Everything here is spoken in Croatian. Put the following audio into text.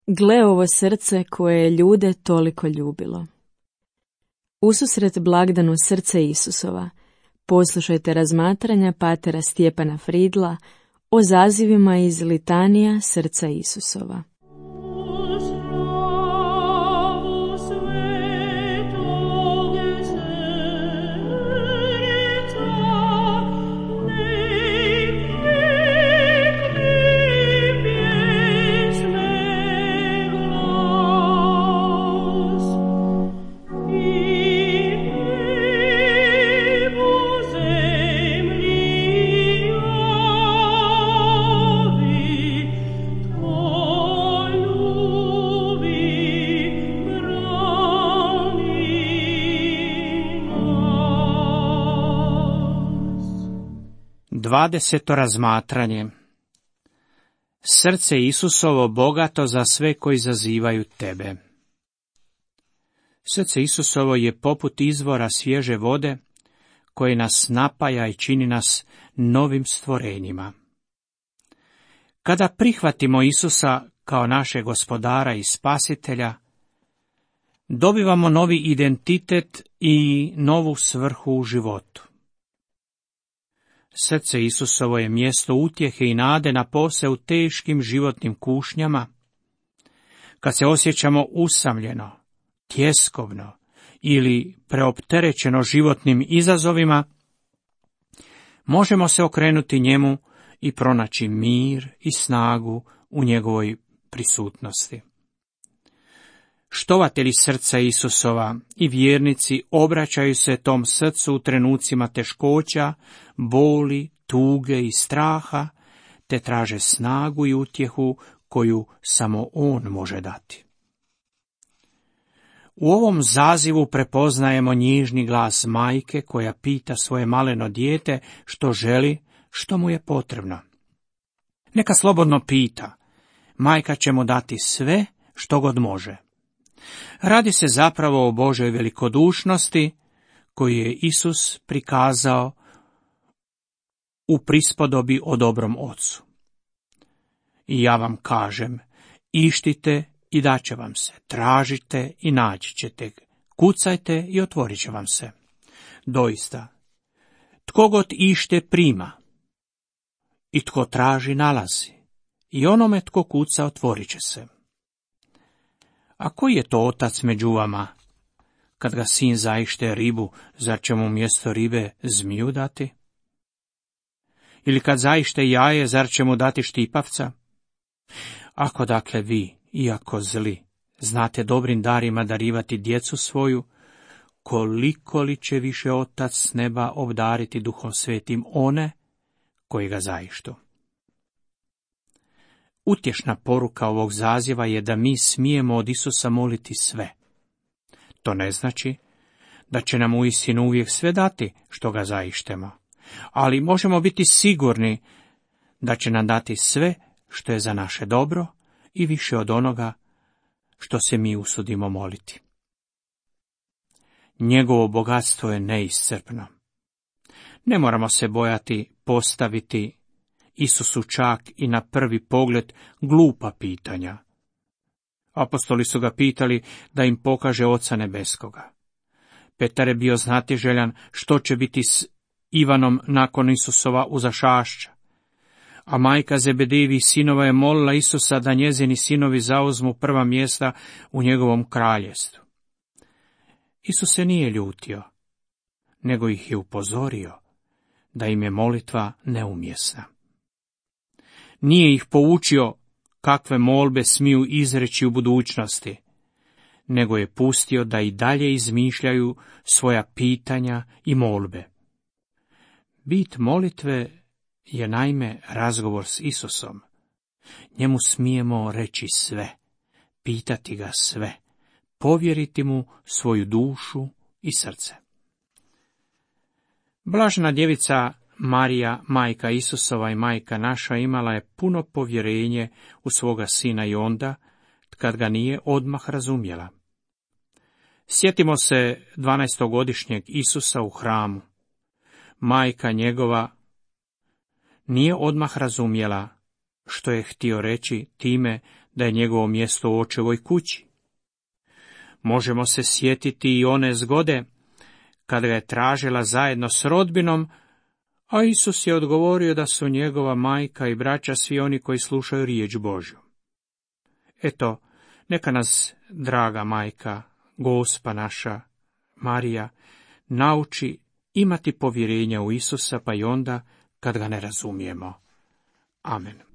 Gle ovo srce koje je ljude toliko ljubilo. Ususret blagdanu srce Isusova, poslušajte razmatranja patera Stjepana Fridla o zazivima iz litanija srca Isusova. Dvadeseto razmatranje. Srce Isusovo bogato za sve koji zazivaju tebe. Srce Isusovo je poput izvora svježe vode koje nas napaja i čini nas novim stvorenjima. Kada prihvatimo Isusa kao našeg gospodara i spasitelja, dobivamo novi identitet i novu svrhu u životu. Srce Isusovo je mjesto utjehe i nade napose u teškim životnim kušnjama, kad se osjećamo usamljeno, tjeskovno ili preopterećeno životnim izazovima, možemo se okrenuti njemu i pronaći mir i snagu u njegovoj prisutnosti. Štovatelji srca Isusova i vjernici obraćaju se tom srcu u trenucima teškoća, boli, tuge i straha, te traže snagu i utjehu koju samo on može dati. U ovom zazivu prepoznajemo njižni glas majke koja pita svoje maleno dijete što želi, što mu je potrebno. Neka slobodno pita, majka će mu dati sve što god može. Radi se zapravo o Božoj velikodušnosti koju je Isus prikazao u prispodobi o dobrom ocu. I ja vam kažem, ištite i daće vam se, tražite i naći ćete, kucajte i otvorit će vam se. Doista, tko god ište prima, i tko traži nalazi, i onome tko kuca otvorit će se. A koji je to otac među vama? Kad ga sin zaište ribu, zar će mu mjesto ribe zmiju dati? Ili kad zaište jaje, zar će mu dati štipavca? Ako dakle vi, iako zli, znate dobrim darima darivati djecu svoju, koliko li će više otac s neba obdariti Duhom Svetim one koji ga zaištu? Utješna poruka ovog zaziva je da mi smijemo od Isusa moliti sve. To ne znači da će nam uistinu uvijek sve dati što ga zaištemo, ali možemo biti sigurni da će nam dati sve što je za naše dobro i više od onoga što se mi usudimo moliti. Njegovo bogatstvo je neiscrpno. Ne moramo se bojati postaviti Isusu čak i na prvi pogled glupa pitanja. Apostoli su ga pitali da im pokaže Oca nebeskoga. Petar je bio znatiželjan što će biti s Ivanom nakon Isusova uzašašća. A majka Zebedejevih sinova je molila Isusa da njezini sinovi zauzmu prva mjesta u njegovom kraljestvu. Isus se nije ljutio, nego ih je upozorio da im je molitva neumjesna. Nije ih poučio kakve molbe smiju izreći u budućnosti, nego je pustio da i dalje izmišljaju svoja pitanja i molbe. Bit molitve je naime razgovor s Isusom. Njemu smijemo reći sve, pitati ga sve, povjeriti mu svoju dušu i srce. Blažena djevica Marija, majka Isusova i majka naša, imala je puno povjerenje u svoga sina i onda, kad ga nije odmah razumjela. Sjetimo se 12-godišnjeg Isusa u hramu. Majka njegova nije odmah razumjela što je htio reći time da je njegovo mjesto u očevoj kući. Možemo se sjetiti i one zgode, kad ga je tražila zajedno s rodbinom, a Isus je odgovorio da su njegova majka i braća svi oni koji slušaju riječ Božju. Eto, neka nas, draga majka, Gospa naša, Marija, nauči imati povjerenja u Isusa, pa i onda kad ga ne razumijemo. Amen.